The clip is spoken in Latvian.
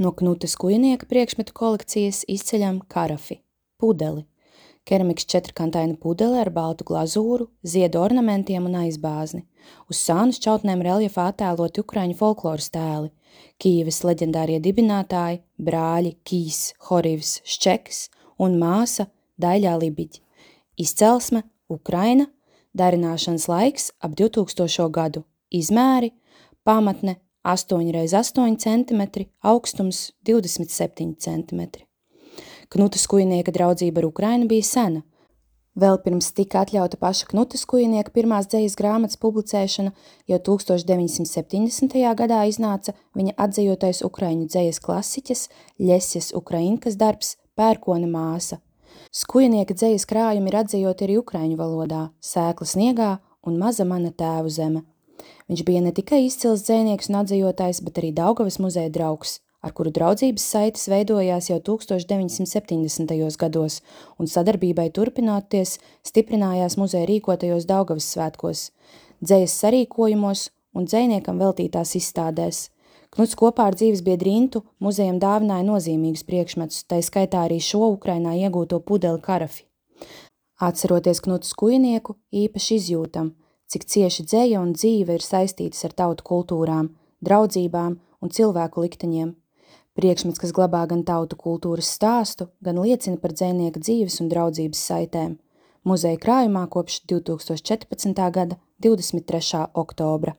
No Knutas Kujnieka priekšmetu kolekcijas izceļam karafi, pudeli. Keramikas četrkantaina pudele ar baltu glazūru, ziedu ornamentiem un aizbāzni. Uz sānu šķautnēm reljefā attēloti ukraiņu folkloras tēli, Kijevas leģendārie dibinātāji, brāļi Kijs, Horivs, Ščekis un māsa Daļā Libiģ. Izcelsme Ukraina, darināšanas laiks ap 2000. gadu, izmēri pamatne 8x8 cm, augstums 27 cm. Knutas Kujnieka draudzība ar Ukrainu bija sena. Vēl pirms tika atļauta paša Knutas Kujnieka pirmās dzejas grāmatas publicēšana, jau 1970. gadā iznāca viņa atdzejotais ukraiņu dzejas klasiķes Ļesjas Ukrainkas darbs Pērkona māsa. Kujnieka dzejas krājumi ir atzejoti arī ukraiņu valodā, Sēkla sniegā un Maza mana tēvu zeme. Viņš bija ne tikai izcils dzejnieks un atzejotājs, bet arī Daugavas muzeja draugs, ar kuru draudzības saites veidojās jau 1970. gados, un sadarbībai turpinoties stiprinājās muzeja rīkotajos Daugavas svētkos, dzejas sarīkojumos un dzejniekam veltītās izstādēs. Knuts kopā ar dzīvesbiedri Intu muzejam dāvināja nozīmīgus priekšmetus, tai skaitā arī šo Ukrainā iegūto pudeli karafi. Atceroties Knutas Kujnieku, īpaši izjūtam, cik cieši dzeja un dzīve ir saistītas ar tautu kultūrām, draudzībām un cilvēku likteņiem. Priekšmets, kas glabā gan tautu kultūras stāstu, gan liecina par dzejnieka dzīves un draudzības saitēm. Muzeja krājumā kopš 2014. gada 23. oktobra.